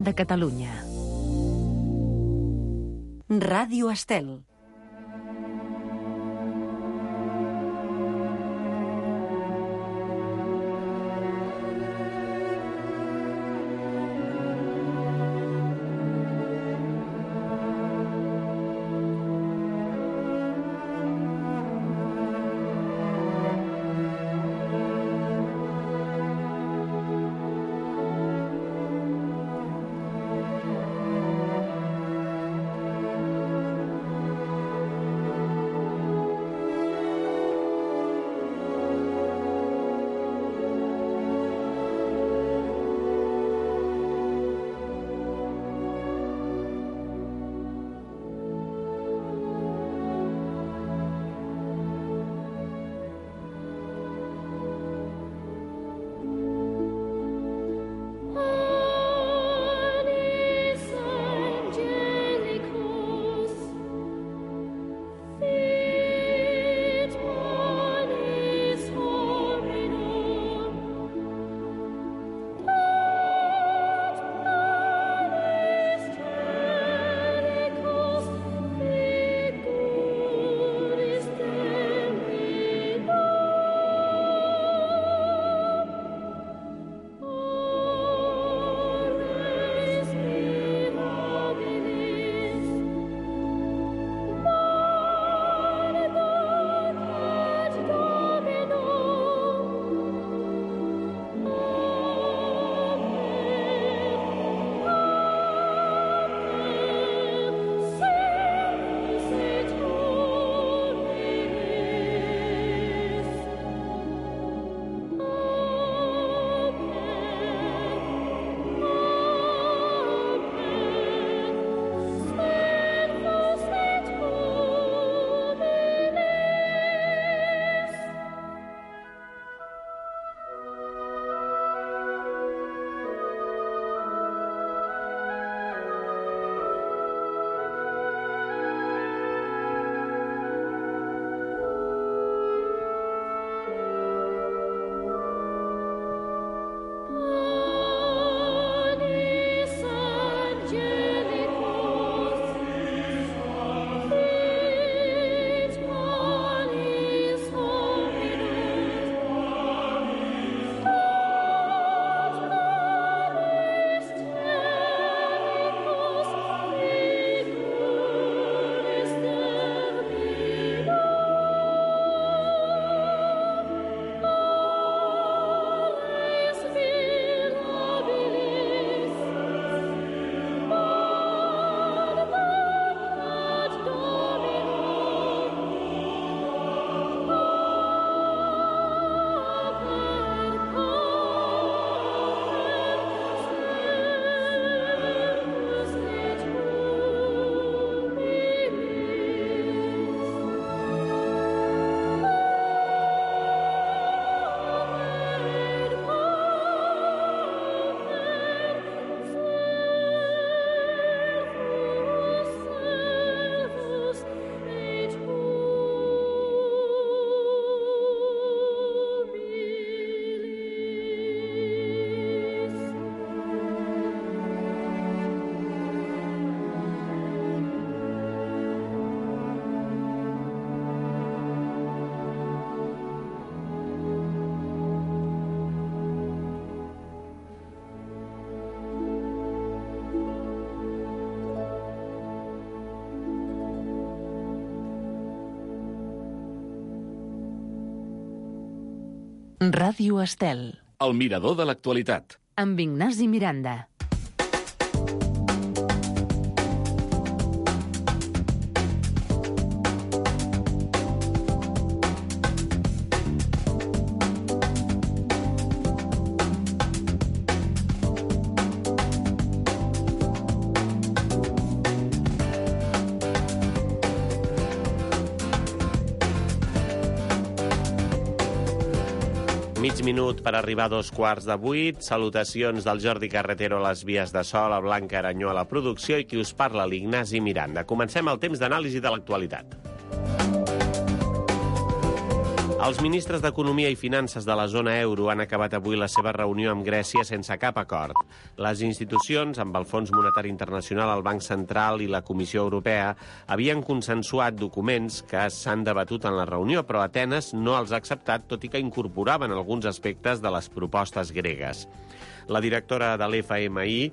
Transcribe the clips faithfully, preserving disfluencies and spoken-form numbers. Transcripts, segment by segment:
de Catalunya. Ràdio Estel. Ràdio Estel. El mirador de l'actualitat. Amb Ignasi Miranda. Mig minut per arribar a dos quarts de vuit. Salutacions del Jordi Carretero a les vies de so, la Blanca Aranyó a la producció i qui us parla, l'Ignasi Miranda. Comencem el temps d'anàlisi de l'actualitat. Els ministres d'Economia i Finances de la zona euro han acabat avui la seva reunió amb Grècia sense cap acord. Les institucions, amb el Fons Monetari Internacional, el Banc Central i la Comissió Europea, havien consensuat documents que s'han debatut en la reunió, però Atenes no els ha acceptat, tot i que incorporaven alguns aspectes de les propostes gregues. La directora de l'F M I,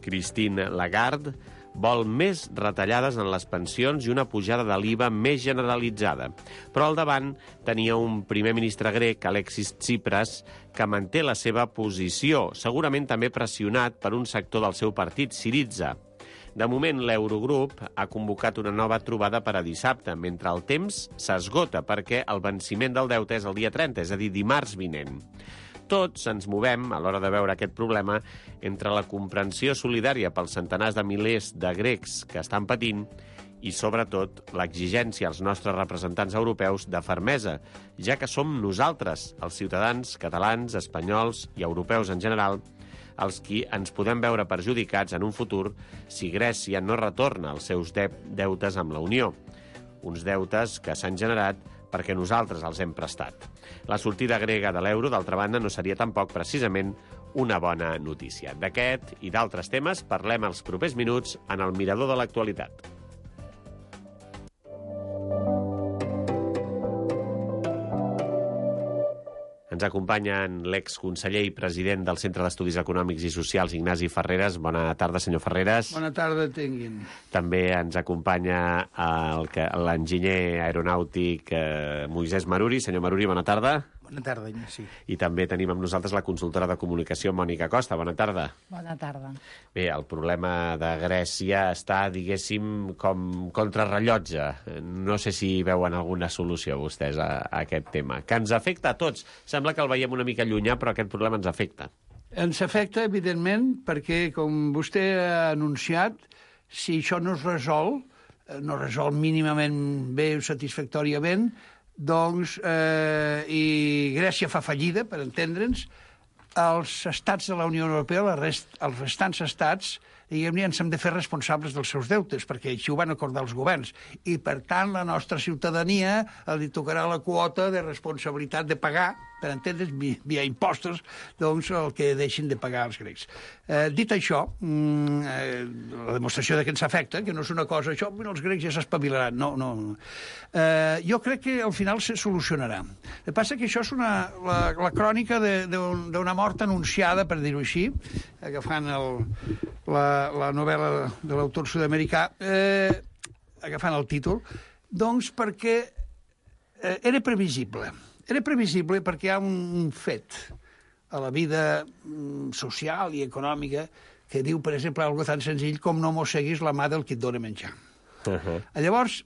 Christine Lagarde, vol més retallades en les pensions i una pujada de l'I V A més generalitzada. Però al davant tenia un primer ministre grec, Alexis Tsipras, que manté la seva posició, segurament també pressionat per un sector del seu partit, Syriza. De moment, l'Eurogrup ha convocat una nova trobada per a dissabte, mentre el temps s'esgota perquè el venciment del deute és el dia trenta, és a dir, dimarts vinent. Tots ens movem, a l'hora de veure aquest problema, entre la comprensió solidària pels centenars de milers de grecs que estan patint i, sobretot, l'exigència als nostres representants europeus de fermesa, ja que som nosaltres, els ciutadans catalans, espanyols i europeus en general, els qui ens podem veure perjudicats en un futur si Grècia no retorna els seus de deutes amb la Unió. Uns deutes que s'han generat perquè nosaltres els hem prestat. La sortida grega de l'euro, d'altra banda, no seria tampoc precisament una bona notícia. D'aquest i d'altres temes parlem els propers minuts en el Mirador de l'Actualitat. Ens acompanyen l'exconseller i president del Centre d'Estudis Econòmics i Socials, Ignasi Ferreres. Bona tarda, senyor Ferreres. Bona tarda, tinguin. També ens acompanya l'enginyer aeronàutic eh, Moisès Maruri. Senyor Maruri, bona tarda. Bona tarda, Ignasi. I també tenim amb nosaltres la consultora de comunicació, Mònica Costa. Bona tarda. Bona tarda. Bé, el problema de Grècia està, diguéssim, com contrarrellotge. No sé si veuen alguna solució vostès a, a aquest tema. Que ens afecta a tots. Sembla que el veiem una mica llunyà, però aquest problema ens afecta. Ens afecta, evidentment, perquè, com vostè ha anunciat, si això no es resol, no es resol mínimament bé o satisfactòriament, doncs, eh, i Grècia fa fallida, per entendre'ns, els estats de la Unió Europea, la rest, els restants estats, diguem-ne, ens hem de fer responsables dels seus deutes, perquè així ho van acordar els governs. I, per tant, la nostra ciutadania li tocarà la quota de responsabilitat de pagar, per entendre's, via impostos, doncs, el que deixin de pagar els grecs. Eh, dit això, eh, la demostració de que ens afecta, que no és una cosa, això, els grecs ja s'espavilaran, no, no. Eh, jo crec que al final se solucionarà. El que passa que això és una, la, la crònica d'una mort anunciada, per dir-ho així, agafant el, la, la novel·la de l'autor sud-americà, eh, agafant el títol, doncs perquè eh, era previsible. Era previsible perquè hi ha un fet a la vida social i econòmica que diu, per exemple, algo tan senzill com no mosseguis la mà del qui et dona menjar. Uh-huh. Llavors,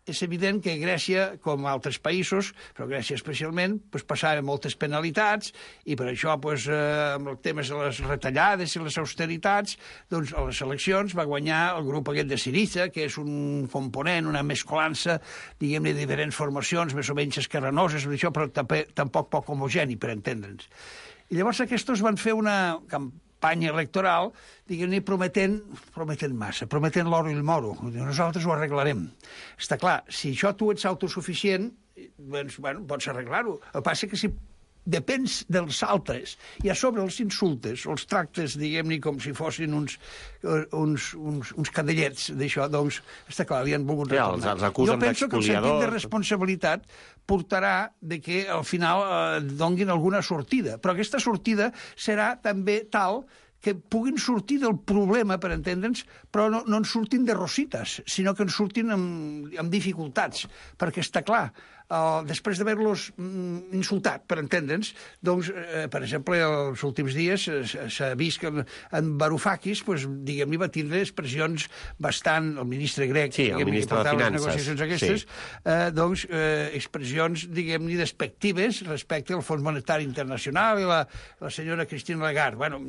és evident que Grècia, com altres països, però Grècia especialment, pues, passava moltes penalitats i per això, pues, eh, amb els temes de les retallades i les austeritats, doncs a les eleccions va guanyar el grup aquest de Syriza, que és un component, una mescolança, diguem-ne, de diferents formacions, més o menys esquerranoses, això, però tampoc poc homogeni, per entendre'ns. I llavors aquests van fer una campanya electoral, diguem-ne, prometent, prometent massa, prometent l'oro i el moro. Nosaltres ho arreglarem. Està clar, si això tu ets autosuficient, doncs, bueno, pots arreglar-ho. El que passa que si depens dels altres i a sobre els insultes, els tractes, diguem-ne, com si fossin uns, uns, uns, uns cadellets d'això, doncs, està clar, li han volgut retornar. Ja, els, els acusen jo penso que el sentit de responsabilitat portarà de que al final eh, donguin alguna sortida, però aquesta sortida serà també tal que puguin sortir del problema, per entendre'ns, però no, no en surtin de rosites, sinó que en surtin amb, amb dificultats, perquè està clar, Uh, després d'haver-los mm, insultat, per entendre'ns, doncs, eh, per exemple, els últims dies s'ha vist que en, en Varoufakis, pues, diguem-ne, va tindre expressions bastant, el ministre grec, sí, el ministre de Finances, les negociacions aquestes, sí. eh, doncs, eh, expressions, diguem-ne, despectives respecte al Fons Monetari Internacional i la, la senyora Christine Lagarde. Bueno,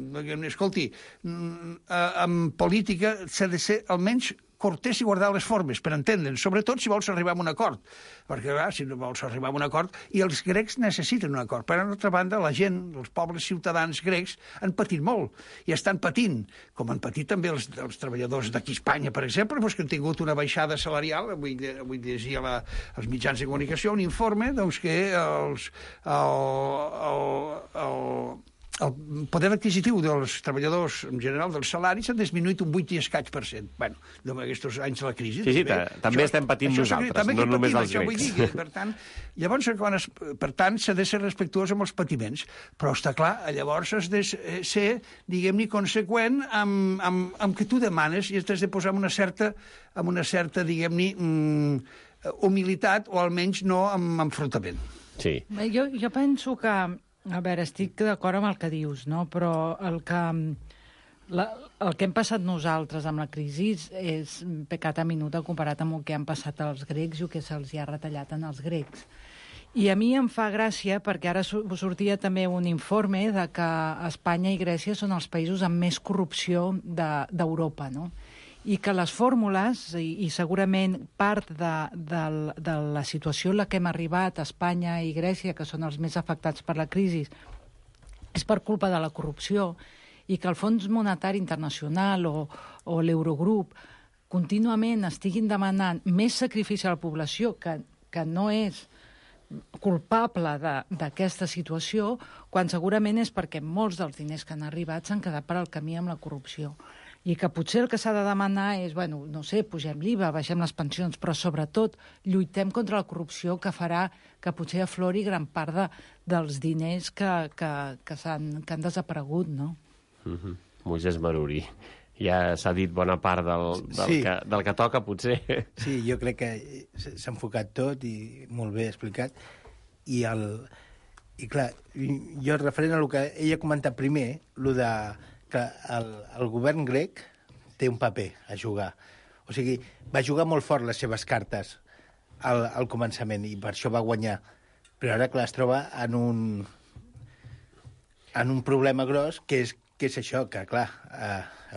escolti, en política s'ha de ser almenys cortés i guardar les formes, per entendre'ns, sobretot si vols arribar a un acord, perquè clar, si no vols arribar a un acord, i els grecs necessiten un acord. Per altra banda, la gent, els pobles ciutadans grecs, han patit molt, i estan patint, com han patit també els, els treballadors d'aquí a Espanya, per exemple, doncs, que han tingut una baixada salarial. Avui, avui llegia la, els mitjans de comunicació un informe doncs, que els, el, el, el, el poder adquisitiu dels treballadors en general dels salaris s'ha disminuït un vuit i escaig per cent. Bé, d'aquests anys de la crisi. Sí, sí, també, també això, estem patint això, nosaltres, també no només patim, els això, grecs. Vull dir, per tant, llavors, quan es, per tant, s'ha de ser respectuós amb els patiments, però està clar, llavors has de ser, diguem-ne, conseqüent amb, amb, amb que tu demanes i has de posar amb una certa, amb una certa diguem-ne, humilitat o almenys no amb enfrontament. Sí. Jo, jo penso que, a veure, estic d'acord amb el que dius, no? Però el que, la, el que hem passat nosaltres amb la crisi és pecat a minuta comparat amb el que han passat els grecs i el que se'ls ha retallat en els grecs. I a mi em fa gràcia perquè ara sortia també un informe de que Espanya i Grècia són els països amb més corrupció d'Europa, no? I que les fórmules, i, i segurament part de, de, de la situació en la que hem arribat, Espanya i Grècia, que són els més afectats per la crisi, és per culpa de la corrupció, i que el Fons Monetari Internacional o, o l'Eurogrup contínuament estiguin demanant més sacrifici a la població, que, que no és culpable d'aquesta situació, quan segurament és perquè molts dels diners que han arribat s'han quedat per al camí amb la corrupció. I que potser el que s'ha de demanar és, bueno, no sé, pugem l'I V A, baixem les pensions, però sobretot lluitem contra la corrupció que farà que potser aflori gran part de, dels diners que, que, que, han, que han desaparegut, no? Mm-hmm. Moisès Maruri. Ja s'ha dit bona part del, del, sí. que, del que toca, potser. Sí, jo crec que s'ha enfocat tot i molt bé explicat. I, el, i clar, jo referent a el que ella ha comentat primer, el de que el, el govern grec té un paper a jugar. O sigui, va jugar molt fort les seves cartes al, al començament i per això va guanyar. Però ara, clar, es troba en un, en un problema gros que és, que és això, que, clar, a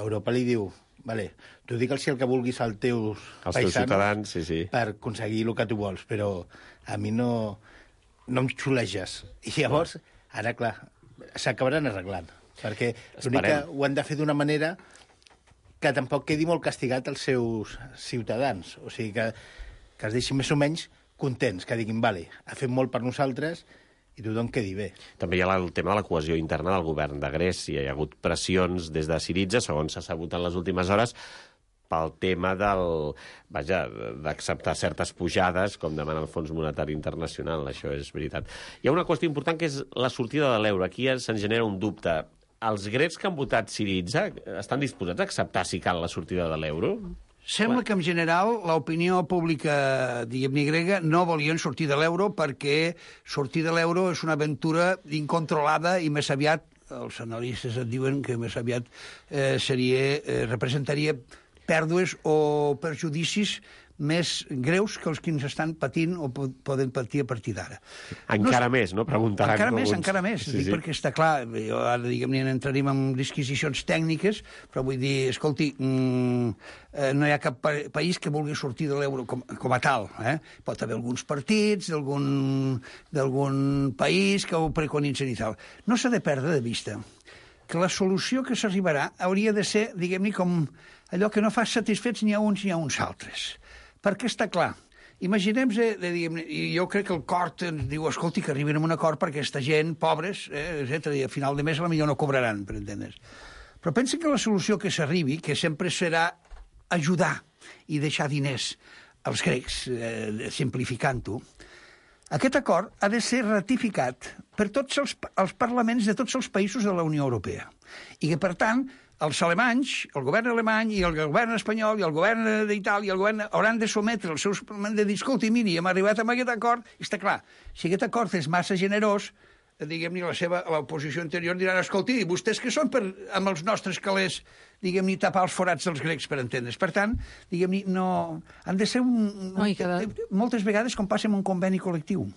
Europa li diu vale, tu digue'ls el que vulguis als teus als paisanos teus ciutadans, sí, sí. per aconseguir el que tu vols, però a mi no, no em xuleges. I llavors, ara, clar, s'acabaran arreglant. Perquè l'únic que ho han de fer d'una manera que tampoc quedi molt castigat als seus ciutadans. O sigui, que, que es deixin més o menys contents, que diguin, vale, ha fet molt per nosaltres i tothom quedi bé. També hi ha el tema de la cohesió interna del govern de Grècia. Hi ha hagut pressions des de Syriza, segons s'ha sabut en les últimes hores, pel tema del, vaja, d'acceptar certes pujades, com demana el Fons Monetari Internacional, això és veritat. Hi ha una qüestió important que és la sortida de l'euro. Aquí se'n genera un dubte. Els grecs que han votat Syriza estan disposats a acceptar, si cal, la sortida de l'euro? Sembla que, en general, l'opinió pública, diguem-ne, grega, no volien sortir de l'euro perquè sortir de l'euro és una aventura incontrolada i més aviat, els analistes et diuen que més aviat eh, seria, eh, representaria pèrdues o perjudicis més greus que els que ens estan patint o poden patir a partir d'ara. Encara no, més, no? Preguntaran encara més, alguns. encara més. Sí, dic, sí. Perquè està clar, jo ara, diguem-ne, entrarem en disquisicions tècniques, però vull dir, escolti, mmm, eh, no hi ha cap pa país que vulgui sortir de l'euro com, com a tal. Eh? Pot haver alguns partits d'algun país que ho preconitzen i tal. No s'ha de perdre de vista que la solució que s'arribarà hauria de ser, diguem-ne, com allò que no fa satisfets ni a uns ni a uns altres. Perquè està clar, imaginem, eh, i jo crec que el Cort ens diu, escolti, que arriben a un acord perquè aquesta gent, pobres, eh, etcètera, i a final de mes a la millor no cobraran, per entendre's. Però pensa que la solució que s'arribi, que sempre serà ajudar i deixar diners als grecs, eh, simplificant-ho, aquest acord ha de ser ratificat per tots els, els parlaments de tots els països de la Unió Europea. I que, per tant, els alemanys, el govern alemany i el govern espanyol i el govern d'Itàlia i el govern hauran de sometre els seus parlaments de dir, escolti, miri, hem arribat a aquest acord, i està clar, si aquest acord és massa generós, diguem-ne, la seva l'oposició anterior diran, escolti, vostès que són per, amb els nostres calés, diguem-ne, tapar els forats dels grecs, per entendre's. Per tant, diguem-ne, no... Han de ser un... No, cada... Moltes vegades, com passa amb un conveni col·lectiu,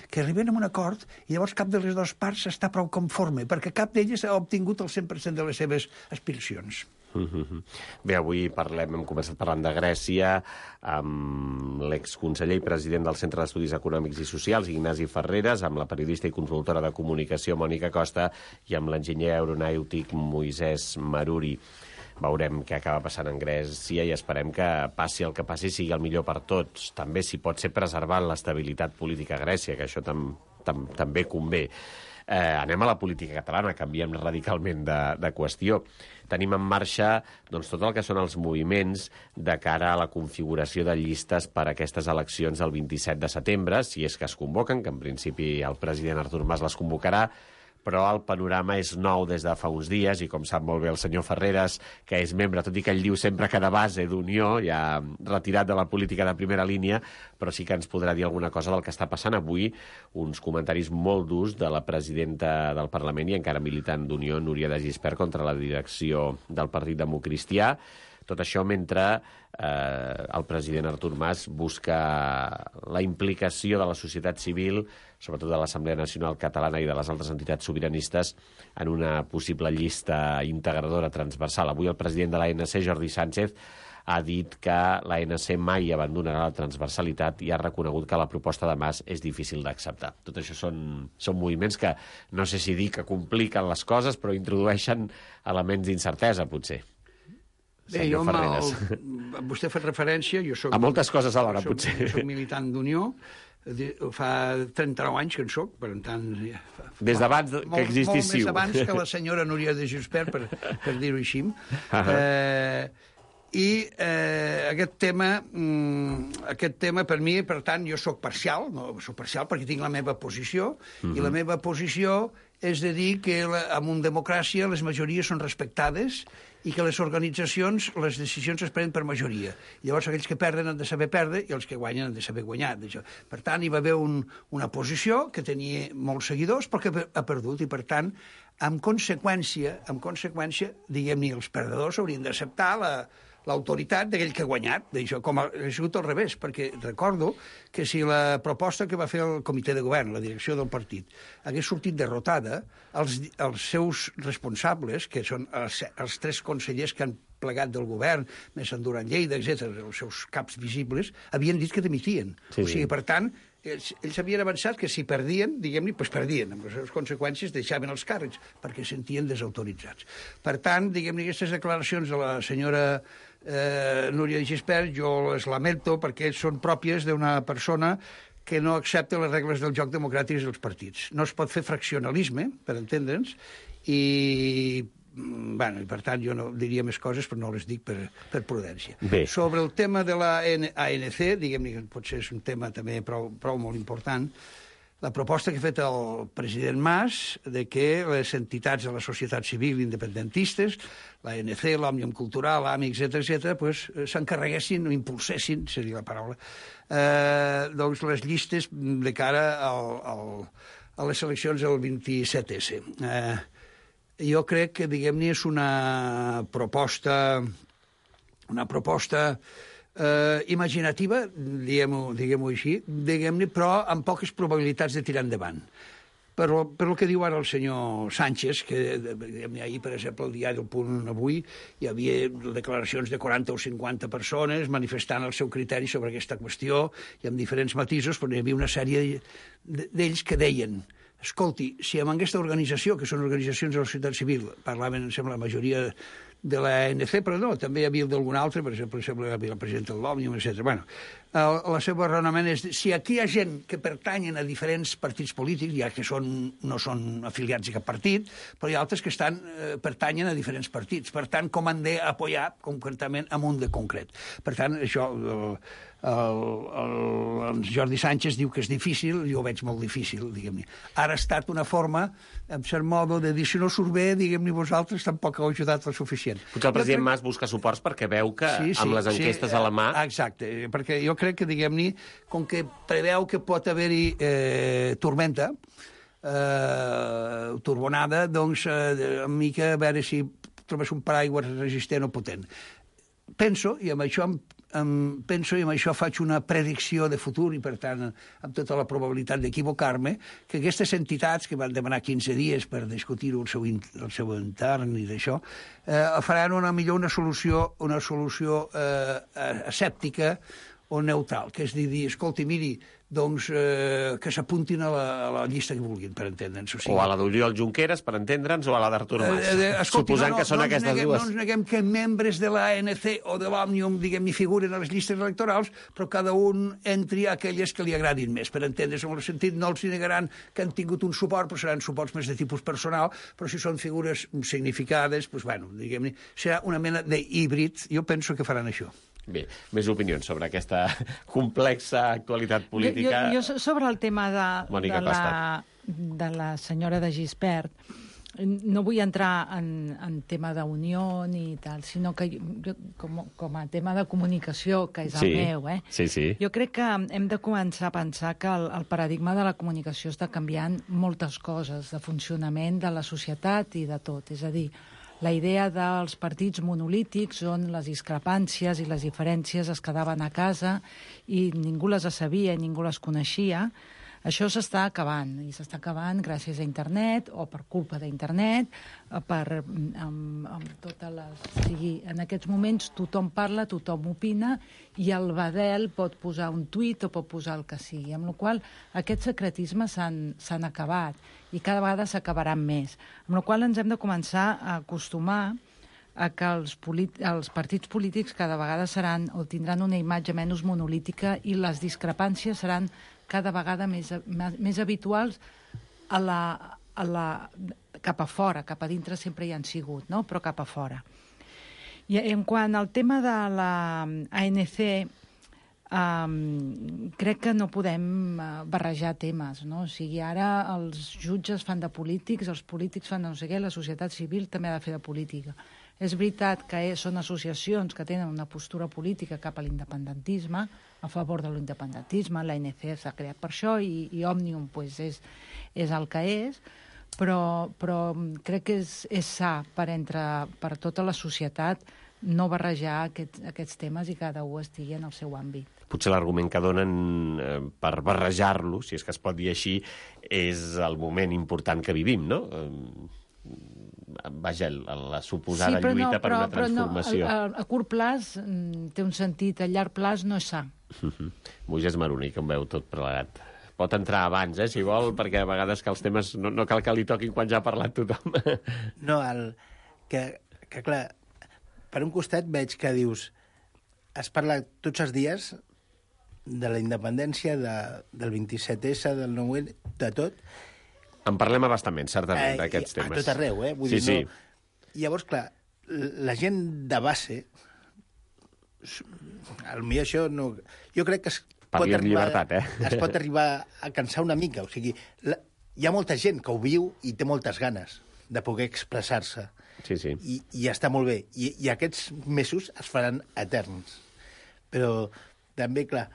que arriben a un acord i llavors cap de les dues parts està prou conforme, perquè cap d'elles ha obtingut el cent per cent de les seves aspiracions. Bé, avui parlem, hem començat parlant de Grècia amb l'exconseller i president del Centre d'Estudis Econòmics i Socials, Ignasi Ferreres, amb la periodista i consultora de comunicació, Mònica Costa, i amb l'enginyer aeronàutic Moisès Maruri. Veurem què acaba passant en Grècia i esperem que passi el que passi sigui el millor per tots. També, si pot ser, preservant l'estabilitat política a Grècia, que això tam, tam, també convé. Eh, anem a la política catalana, canviem radicalment de, de qüestió. Tenim en marxa doncs, tot el que són els moviments de cara a la configuració de llistes per a aquestes eleccions del vint-i-set de setembre, si és que es convoquen, que en principi el president Artur Mas les convocarà, però el panorama és nou des de fa uns dies i, com sap molt bé el senyor Ferreres, que és membre, tot i que ell diu sempre que de base d'Unió, ja retirat de la política de primera línia, però sí que ens podrà dir alguna cosa del que està passant avui, uns comentaris molt durs de la presidenta del Parlament i encara militant d'Unió, Núria de Gispert, contra la direcció del Partit Democristià. Tot això mentre eh, el president Artur Mas busca la implicació de la societat civil, sobretot de l'Assemblea Nacional Catalana i de les altres entitats sobiranistes, en una possible llista integradora transversal. Avui el president de l'A N C, Jordi Sánchez, ha dit que l'A N C mai abandonarà la transversalitat i ha reconegut que la proposta de Mas és difícil d'acceptar. Tot això són, són moviments que no sé si dir que compliquen les coses, però introdueixen elements d'incertesa, potser. Bé, jo, el, vostè ha fet referència... Jo soc, a moltes coses alhora, soc, potser. Jo soc militant d'Unió, fa trenta-nou anys que en soc, per tant... Fa, Des d'abans que molt, existíssiu. Molt més abans que la senyora Núria de Gispert, per, per dir-ho així. Eh, I eh, aquest tema, mm, aquest tema, per mi, per tant, jo sóc parcial, no sóc parcial perquè tinc la meva posició, uh-huh. i la meva posició és de dir que la, en una democràcia les majories són respectades i que les organitzacions, les decisions es prenen per majoria. Llavors, aquells que perden han de saber perdre i els que guanyen han de saber guanyar. Per tant, hi va haver un, una posició que tenia molts seguidors però que ha perdut i, per tant, en conseqüència, en conseqüència diguem-ne, els perdedors haurien d'acceptar la l'autoritat d'aquell que ha guanyat, d'això, com ha sigut al revés, perquè recordo que si la proposta que va fer el comitè de govern, la direcció del partit, hagués sortit derrotada, els, els seus responsables, que són els, els tres consellers que han plegat del govern, més en Duran Lleida, etcètera, els seus caps visibles, havien dit que dimitien. Sí, o sigui, per tant, ells, ells havien avançat que si perdien, diguem-ne, doncs perdien, amb les seves conseqüències deixaven els càrrecs, perquè se sentien desautoritzats. Per tant, diguem-ne, aquestes declaracions de la senyora eh, Núria de Gispert, jo les lamento perquè són pròpies d'una persona que no accepta les regles del joc democràtics dels partits. No es pot fer fraccionalisme, per entendre'ns, i, bueno, i per tant jo no diria més coses, però no les dic per, per prudència. Bé. Sobre el tema de la A N C, diguem-ne que potser és un tema també prou, prou molt important, la proposta que ha fet el president Mas de que les entitats de la societat civil independentistes, l'A N C, l'Òmnium Cultural, l'A M I, etcètera, etcètera, pues, s'encarreguessin o impulsessin, seria la paraula, eh, doncs les llistes de cara al, al, a les eleccions del vint-i-set esse. Eh, jo crec que, diguem-ne, és una proposta, una proposta eh, imaginativa, diguem-ho diguem així, diguem-ne, però amb poques probabilitats de tirar endavant. Per, per el que diu ara el senyor Sánchez, que ahir, per exemple, el diari del Punt avui, hi havia declaracions de quaranta o cinquanta persones manifestant el seu criteri sobre aquesta qüestió, i amb diferents matisos, però hi havia una sèrie d'ells que deien: escolti, si amb aquesta organització, que són organitzacions de la societat civil, parlaven, em sembla, la majoria de l'A N C, però no, també hi havia d'algun altre, per exemple, sembla que hi havia la presidenta de l'Òmnium, etcètera. Bueno, el, el seu raonament és, si aquí hi ha gent que pertanyen a diferents partits polítics, ja que són, no són afiliats a cap partit, però hi ha altres que estan, eh, pertanyen a diferents partits. Per tant, com han d'apoyar concretament en un de concret. Per tant, això... El, El, el, el Jordi Sánchez diu que és difícil, jo ho veig molt difícil, diguem-ne. Ara ha estat una forma, en cert modo, de dir, si no surt bé, diguem-ne, vosaltres tampoc heu ajudat el suficient. Potser el president Mas busca suports perquè veu que sí, sí, amb les enquestes sí, a la mà... Exacte, perquè jo crec que, diguem-ne, com que preveu que pot haver-hi eh, tormenta, eh, turbonada, doncs, eh, una mica a veure si trobes un paraigües resistent o potent. penso, i amb això em, em penso i amb això faig una predicció de futur i, per tant, amb tota la probabilitat d'equivocar-me, que aquestes entitats que van demanar quinze dies per discutir-ho el seu, el seu intern i d'això, eh, faran una millor una solució, una solució eh, escèptica o neutral, que és dir, dir escolti, miri, doncs eh, que s'apuntin a, a la llista que vulguin, per entendre'ns. O, sigui, o a la d'Oriol Junqueras, per entendre'ns, o a la d'Artur Mas. Eh, eh, escolti, Suposant no, no, que són no aquestes neguem, dues. No ens neguem que membres de l'A N C o de l'Òmnium, diguem, hi figuren a les llistes electorals, però cada un entri a aquelles que li agradin més, per entendre's. En el sentit, no els negaran que han tingut un suport, però seran suports més de tipus personal, però si són figures significades, doncs, bueno, diguem-ne, serà una mena d'híbrid. Jo penso que faran això. Bé, més opinions sobre aquesta complexa actualitat política. Jo, jo, jo sobre el tema de, Mònica de, la, de la senyora de Gispert, no vull entrar en, en tema d'unió ni tal, sinó que jo, com, com a tema de comunicació, que és el sí, meu, eh? Sí, sí. Jo crec que hem de començar a pensar que el, el paradigma de la comunicació està canviant moltes coses de funcionament de la societat i de tot. És a dir, la idea dels partits monolítics on les discrepàncies i les diferències es quedaven a casa i ningú les sabia i ningú les coneixia, això s'està acabant, i s'està acabant gràcies a internet o per culpa d'internet, per amb, amb totes les... O sigui, en aquests moments tothom parla, tothom opina, i el badel pot posar un tuit o pot posar el que sigui, amb la qual cosa aquests secretismes s'han acabat i cada vegada s'acabaran més. Amb la qual cosa ens hem de començar a acostumar a que els, els partits polítics cada vegada seran o tindran una imatge menys monolítica i les discrepàncies seran cada vegada més, més habituals a la, a la, cap a fora, cap a dintre sempre hi han sigut, no? Però cap a fora. I en quant al tema de la A N C, um, crec que no podem barrejar temes, no? O sigui, ara els jutges fan de polítics, els polítics fan de no sé què, la societat civil també ha de fer de política. És veritat que són associacions que tenen una postura política cap a l'independentisme, a favor de l'independentisme, l'A N C s'ha creat per això i, i Òmnium pues, és, és el que és, però, però crec que és, és sa per, entre, per tota la societat no barrejar aquests, aquests temes i cada un estigui en el seu àmbit. Potser l'argument que donen eh, per barrejar-lo, si és que es pot dir així, és el moment important que vivim, no? Eh, vaja, la suposada sí, lluita no, per però, una transformació. Però no, a, a curt plaç té un sentit, a llarg plaç no és sa. Uh-huh. Moisès Maroní, que em veu tot plegat. Pot entrar abans, eh, si vol, perquè a vegades que els temes no, no cal que li toquin quan ja ha parlat tothom. No, el, que, que clar, per un costat veig que dius, has parlat tots els dies de la independència, de, del vint-i-set essa, del nou ena, de tot. En parlem abastament, certament, eh, d'aquests temes. A tot arreu, eh? Vull sí, dir, sí. No... Llavors, clar, la gent de base, potser això no... Jo crec que es pot, Parli amb arribar, llibertat, eh? es pot arribar a cansar una mica. O sigui, la... hi ha molta gent que ho viu i té moltes ganes de poder expressar-se. Sí, sí. I, i està molt bé. I, I aquests mesos es faran eterns. Però també, clar,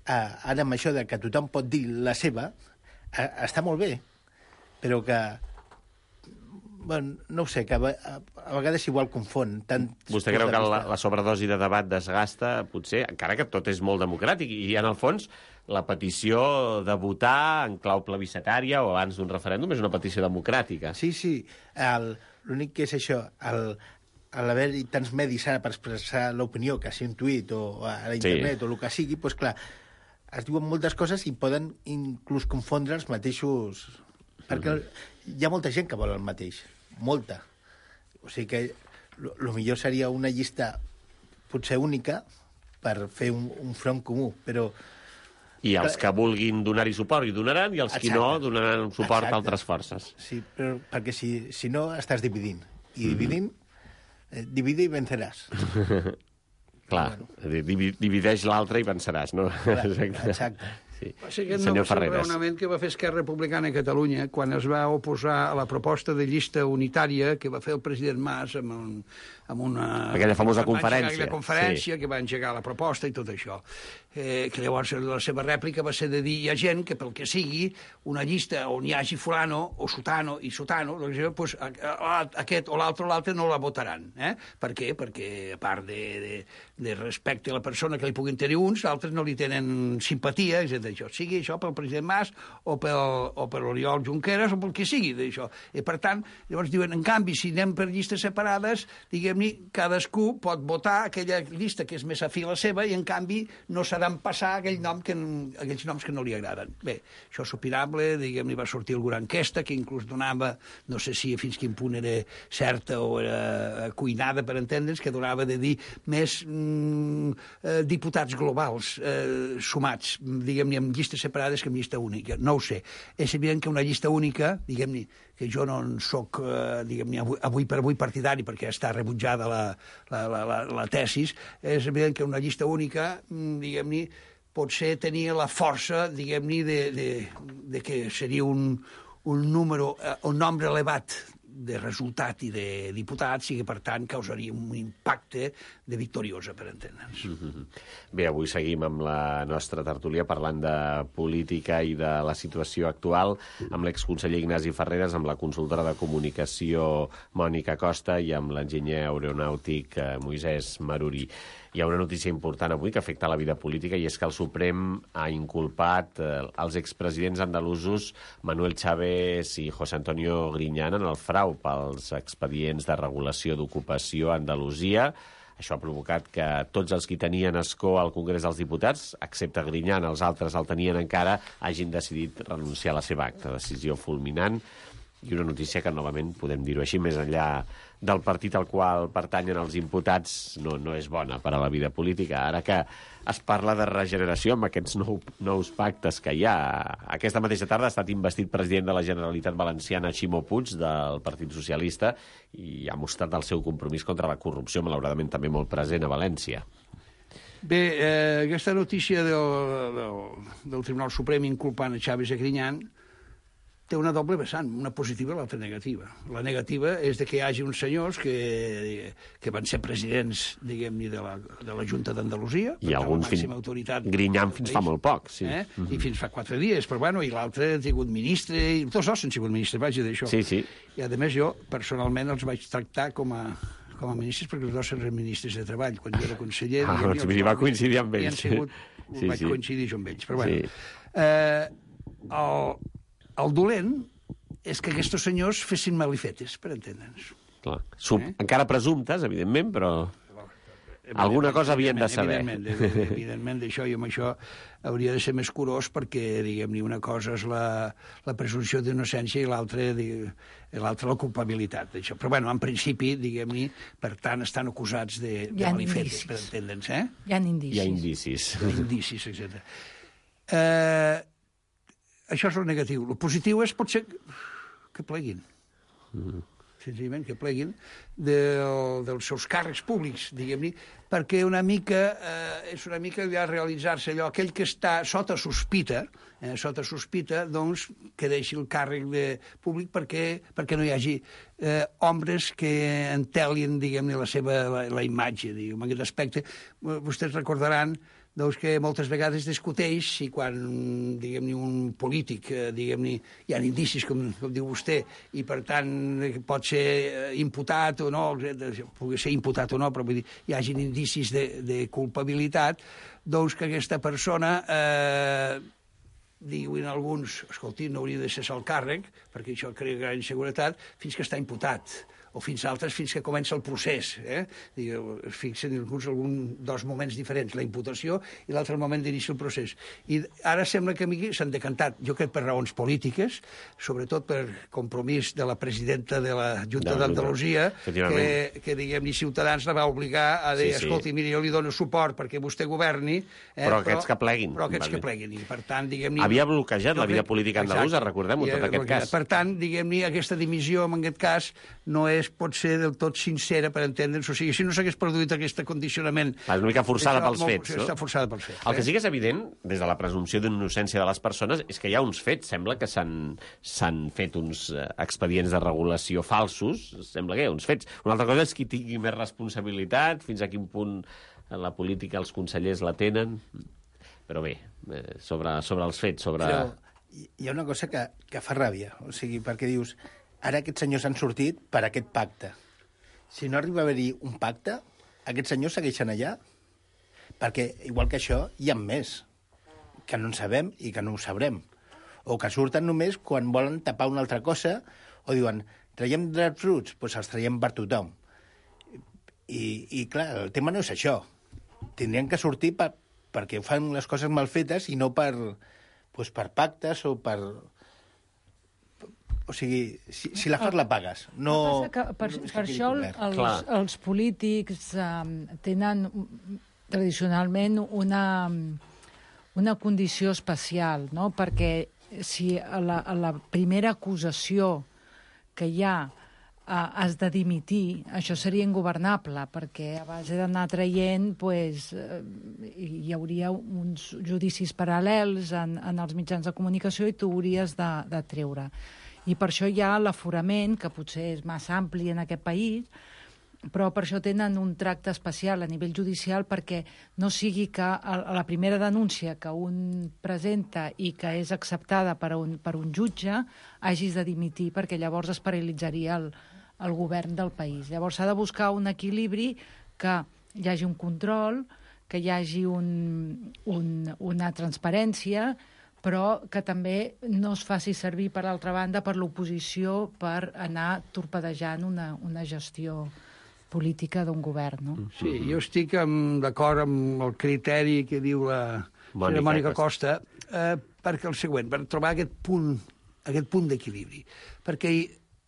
ara amb això de que tothom pot dir la seva, està molt bé. Però que, bueno, no ho sé, que a, a, a vegades igual confon. Tant Vostè creu que la, la sobredosi de debat desgasta, potser, encara que tot és molt democràtic, i en el fons la petició de votar en clau plebiscitària o abans d'un referèndum és una petició democràtica. Sí, sí, l'únic que és això, el, l'haver-hi tants medis ara per expressar l'opinió, que sigui un tuit o a la internet sí. o el que sigui, doncs clar, es diuen moltes coses i poden inclús confondre els mateixos... Perquè hi ha molta gent que vol el mateix, molta. O sigui que el millor seria una llista potser única per fer un, un front comú, però... I els que vulguin donar-hi suport hi donaran, i els Exacte. Qui no donaran suport Exacte. A altres forces. Sí, però perquè si, si no estàs dividint. I dividint, eh, divide i venceràs. Clar, bueno. Divideix l'altre i venceràs, no? Clar, exacte. Sí. Va ser aquest no va ser el raonament que va fer Esquerra Republicana a Catalunya quan es va oposar a la proposta de llista unitària que va fer el president Mas amb, un, amb una... Aquella famosa conferència. Aquella conferència sí. que va engegar la proposta i tot això. Eh, que llavors la seva rèplica va ser de dir hi ha gent que pel que sigui una llista on hi hagi fulano o sutano i sutano, doncs, pues, a, a, aquest o l'altre o l'altre no la votaran. Eh? Per què? Perquè a part de, de, de respecte a la persona que li puguin tenir uns, altres no li tenen simpatia, etcètera. Això sigui això pel president Mas o pel, o per l'Oriol Junqueras o pel que sigui d'això. I per tant, llavors diuen, en canvi, si anem per llistes separades, diguem-ne, cadascú pot votar aquella llista que és més afí a la seva i en canvi no serà en passar aquell nom que, aquells noms que no li agraden. Bé, això és opinable, diguem-ne, va sortir alguna enquesta que inclús donava, no sé si fins quin punt era certa o era cuinada, per entendre'ns, que donava de dir més mm, eh, diputats globals eh, sumats, diguem-ne, amb llistes separades que amb llista única. No ho sé. És evident que una llista única, diguem-ne, que jo no en soc, eh, diguem-ne, avui, avui per avui partidari, perquè està rebutjada la, la, la, la, la tesis, és evident que una llista única, diguem-ne, potser tenia la força, diguem-ne, de, de, de que seria un, un número, un nombre elevat de resultat i de diputats i que, per tant, causaria un impacte de victoriosa, per entendre'ns. Mm-hmm. Bé, avui seguim amb la nostra tertúlia parlant de política i de la situació actual amb l'exconseller Ignasi Ferreres, amb la consultora de comunicació Mònica Costa i amb l'enginyer aeronàutic Moisès Maruri. Hi ha una notícia important avui que afecta la vida política i és que el Suprem ha inculpat eh, els expresidents andalusos Manuel Chávez i José Antonio Griñán en el frau pels expedients de regulació d'ocupació a Andalusia. Això ha provocat que tots els que tenien escó al Congrés dels Diputats, excepte Griñán, els altres el tenien encara, hagin decidit renunciar a la seva acta. Decisió fulminant i una notícia que, novament, podem dir-ho així, més enllà del partit al qual pertanyen els imputats, no, no és bona per a la vida política. Ara que es parla de regeneració amb aquests nou, nous pactes que hi ha. Aquesta mateixa tarda ha estat investit president de la Generalitat Valenciana Ximo Puig, del Partit Socialista, i ha mostrat el seu compromís contra la corrupció, malauradament també molt present a València. Bé, eh, aquesta notícia del, del, del Tribunal Suprem inculpant a Chávez i Griñán té una doble vessant, una positiva i l'altra negativa. La negativa és de que hi hagi uns senyors que, que van ser presidents, diguem-ne, de, la, de la Junta d'Andalusia, i alguns fins... autoritat Griñán fins fa molt poc, sí. Eh? Mm-hmm. I fins fa quatre dies, però bueno, i l'altre ha sigut ministre, i tots dos han sigut ministres, vaja, d'això. Sí, sí. I a més jo, personalment, els vaig tractar com a com a ministres, perquè els dos eren ministres de Treball. Quan jo era conseller... Ah, doncs hi va coincidir amb ells. Sigut, sí, vaig sí. coincidir jo amb ells. Però bueno, Sí. eh, el, el dolent és que aquests senyors fessin malifetes, per entendre'ns. Clar. Sub... Eh? Encara presumptes, evidentment, però alguna cosa havien de saber. Evidentment, evidentment, d'això, i amb això hauria de ser més curós perquè, diguem-ne, una cosa és la, la presumpció d'innocència i l'altra l'altra la culpabilitat. D'això. Però, bueno, en principi, diguem-ne, per tant, estan acusats de, de malifetes, per entendre'ns, eh? Hi ha indicis. Hi ha indicis. Hi ha indicis, etcètera. Eh, això és el negatiu. El positiu és, potser, que pleguin. Mm. Senzillament que pleguin del, dels seus càrrecs públics, diguem-ne, perquè una mica, eh, és una mica ja realitzar-se allò, aquell que està sota sospita, eh, sota sospita, doncs, que deixi el càrrec de públic perquè, perquè no hi hagi eh, homes que entelien, diguem-ne, la seva la, la imatge, diguem, en aquest aspecte. Vostès recordaran doncs que moltes vegades discuteix si quan, diguem-ne, un polític, eh, diguem-ne, hi ha indicis, com, com diu vostè, i per tant pot ser imputat o no, pugui ser imputat o no, però vull dir, hi hagin indicis de, de culpabilitat, doncs que aquesta persona, eh, diuen alguns, escolti, no hauria de cessar el càrrec, perquè això crea gran inseguretat, fins que està imputat, o fins altres, fins que comença el procés. Eh? Es fixen alguns algun, dos moments diferents, la imputació i l'altre moment d'inici del procés. I ara sembla que a mi s'han decantat, jo crec per raons polítiques, sobretot per compromís de la presidenta de la Junta d'Andalusia, que, que diguem-ne, Ciutadans la va obligar a dir, sí, sí. escolti, miri, jo li dono suport perquè vostè governi... Eh, però aquests que pleguin. Però aquests que pleguin. I per tant, diguem-ne... Havia bloquejat la vida política andalusa, recordem-ho, tot aquest cas. Per tant, diguem-ne, aquesta dimissió, en aquest cas, no és pot ser del tot sincera, per entendre'ns. O sigui, si no s'hagués produït aquest condicionament... És una mica forçada pels molt, fets, no? Està forçada pels fets. El que sí que és evident, des de la presumpció d'innocència de les persones, és que hi ha uns fets. Sembla que s'han fet uns expedients de regulació falsos. Sembla que hi ha uns fets. Una altra cosa és qui tingui més responsabilitat, fins a quin punt en la política els consellers la tenen... Però bé, eh, sobre, sobre els fets, sobre... Però hi ha una cosa que, que fa ràbia, o sigui, perquè dius, ara aquests senyors han sortit per aquest pacte. Si no arriba a haver-hi un pacte, aquests senyors segueixen allà, perquè, igual que això, hi ha més, que no en sabem i que no ho sabrem. O que surten només quan volen tapar una altra cosa, o diuen, traiem drets, doncs els traiem per tothom. I, i clar, el tema no és això. Tindrien que sortir per, perquè fan les coses mal fetes i no per, doncs per pactes o per... O sigui, si, si la fas, la pagues. No, que per, no per això el, els, els polítics um, tenen tradicionalment una, una condició especial, no? Perquè si a la, a la primera acusació que hi ha uh, has de dimitir, això seria ingovernable, perquè a base d'anar traient pues, uh, hi hauria uns judicis paral·lels en, en els mitjans de comunicació i tu hauries de, de treure. I per això hi ha l'aforament, que potser és massa ampli en aquest país, però per això tenen un tracte especial a nivell judicial perquè no sigui que a la primera denúncia que un presenta i que és acceptada per un, per un jutge hagis de dimitir, perquè llavors es paralitzaria el, el govern del país. Llavors s'ha de buscar un equilibri que hi hagi un control, que hi hagi un, un, una transparència, però que també no es faci servir, per l'altra banda, per l'oposició per anar torpedejant una, una gestió política d'un govern, no? Sí, jo estic d'acord amb el criteri que diu la Mònica, Mònica Costa, eh, perquè el següent, per trobar aquest punt, aquest punt d'equilibri. Perquè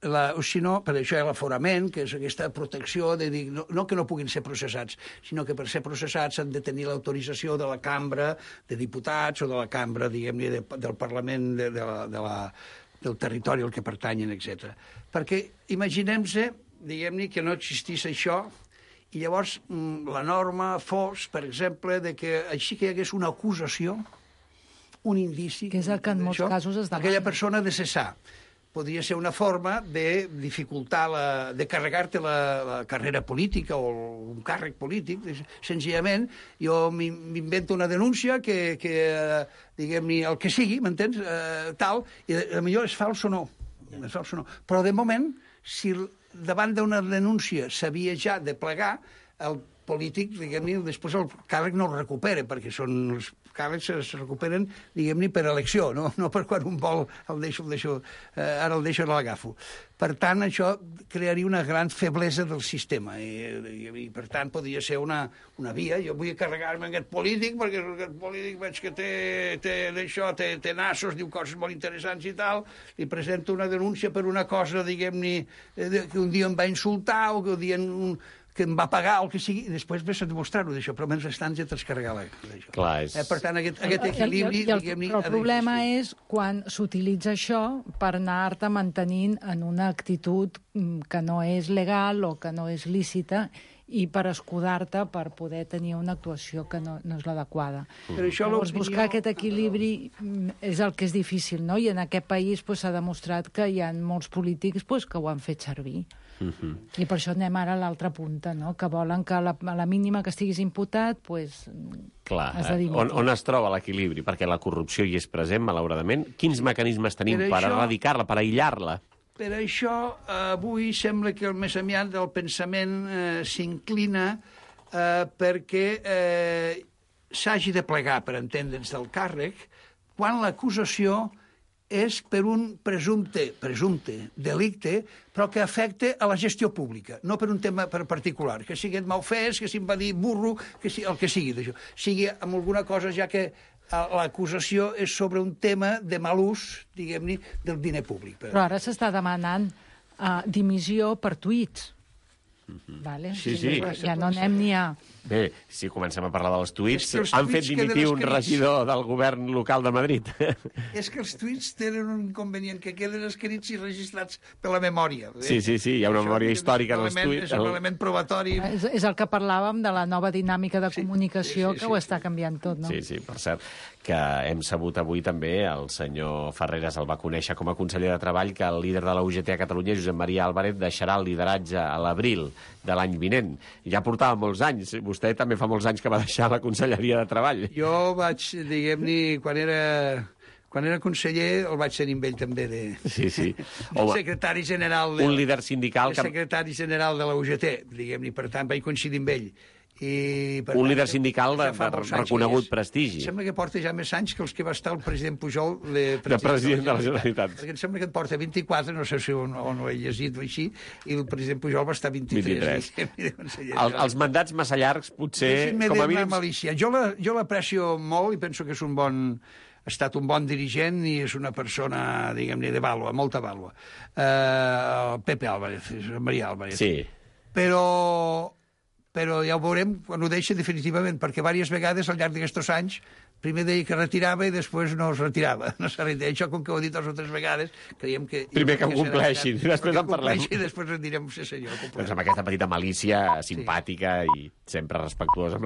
la, o si no, per això hi ha l'aforament, que és aquesta protecció de dir, no, no que no puguin ser processats, sinó que per ser processats han de tenir l'autorització de la cambra de diputats o de la cambra, diguem-ne, de, del Parlament de, de la, de la, del territori al que pertanyen, etcètera. Perquè imaginem-se, diguem-ne, que no existís això i llavors la norma fos, per exemple, de que així que hi hagués una acusació, un indici... Que és el que en molts casos es demana. Aquella persona de cessar. Podria ser una forma de dificultar, la, de carregar-te la, la carrera política o un càrrec polític. Senzillament, jo m'invento una denúncia que, que diguem-ne, el que sigui, m'entens? Eh, tal, i potser és fals o no. És fals o no. Però, de moment, si davant d'una denúncia s'havia ja de plegar, el polític, diguem-ne, després el càrrec no el recupera, perquè són els càrrecs es recuperen, diguem-ne, per elecció, no, no per quan un vol el deixo, el deixo, eh, ara el deixo, l'agafo. Per tant, això crearia una gran feblesa del sistema i, i, i per tant, podria ser una, una via. Jo vull carregar-me aquest polític perquè aquest polític veig que té, té d'això, té, té nassos, diu coses molt interessants i tal, li presento una denúncia per una cosa, diguem-ne, que un dia em va insultar o que un dia un, que em va pagar o el que sigui, i després ves a demostrar-ho d'això, però menys estan ja t'has carregat d'això. Clar, és... Eh, per tant, aquest, aquest equilibri... I el, i el, però el problema és quan s'utilitza això per anar-te mantenint en una actitud que no és legal o que no és lícita i per escudar-te per poder tenir una actuació que no, no és l'adequada. Llavors, buscar aquest equilibri és el que és difícil, no? I en aquest país s'ha pues, demostrat que hi ha molts polítics pues, que ho han fet servir. Uh -huh. I per això anem ara a l'altra punta, no? Que volen que a la, a la mínima que estiguis imputat, pues, clar, has de dimitir. On, on es troba l'equilibri? Perquè la corrupció hi és present, malauradament. Quins mecanismes tenim per, per això... erradicar-la, per aïllar-la? Per això, eh, avui sembla que el més aviat del pensament eh, s'inclina eh, perquè eh, s'hagi de plegar, per entendre'ns, del càrrec, quan l'acusació és per un presumpte, presumpte delicte, però que afecta a la gestió pública, no per un tema per particular, que sigui malfès, que se'n va dir burro, que sigui, el que sigui d'això. Sigui amb alguna cosa, ja que l'acusació és sobre un tema de mal ús, diguem-ne, del diner públic. Però ara s'està demanant uh, dimissió per tuits. Mm-hmm. Vale? Sí, sí. Ja no anem ni a... Bé, si comencem a parlar dels tuits, es han fet dimitir un regidor del govern local de Madrid. És que els tuits tenen un inconvenient, que queden escrits i registrats per la memòria. Eh? Sí, sí, sí, hi ha una això memòria històrica dels tuits. És un element probatori. És, és el que parlàvem de la nova dinàmica de sí, comunicació, sí, sí, sí, que ho està sí. canviant tot, no? Sí, sí, per cert, que hem sabut avui també, el senyor Ferreras el va conèixer com a conseller de Treball, que el líder de la U G T a Catalunya, Josep Maria Álvarez, deixarà el lideratge a l'abril de l'any vinent. Ja portava molts anys, vostè vostè també fa molts anys que va deixar la Conselleria de Treball. Jo vaig, diguem-ne, quan era... Quan era conseller el vaig tenir amb ell també de, Sí, sí. de Home, secretari general de, un líder sindical de que... secretari general de la U G T, diguem-ne, per tant vaig coincidir amb ell. I, per Un tant, líder sindical de, ja fa de molts anys reconegut que hi és. prestigi. Em sembla que porta ja més anys que els que va estar el president Pujol de, De president de la Generalitat. Perquè em sembla que en porta vint-i-quatre, no sé si on, on ho he llegit o així, i el president Pujol va estar vint-i-tres. vint-i-tres. El, els mandats massa llargs, potser, Deixin-me com a dir-me mínim... malícia. Jo la- jo l'aprecio molt i penso que és un bon... ha estat un bon dirigent i és una persona, diguem-ne, de vàlua, molta vàlua. Uh, Pepe Álvarez, Maria Álvarez. Sí. Però, però ja ho veurem quan ho deixa definitivament, perquè diverses vegades al llarg d'aquests anys primer deia que retirava i després no es retirava. No s'ha retirat. Això, com que ho he dit dues o tres vegades, creiem que... Primer que ho serà compleixin, aviat. després en parlem. I després en direm, sí senyor, ho compleixo. Doncs amb aquesta petita malícia simpàtica i sempre respectuosa amb la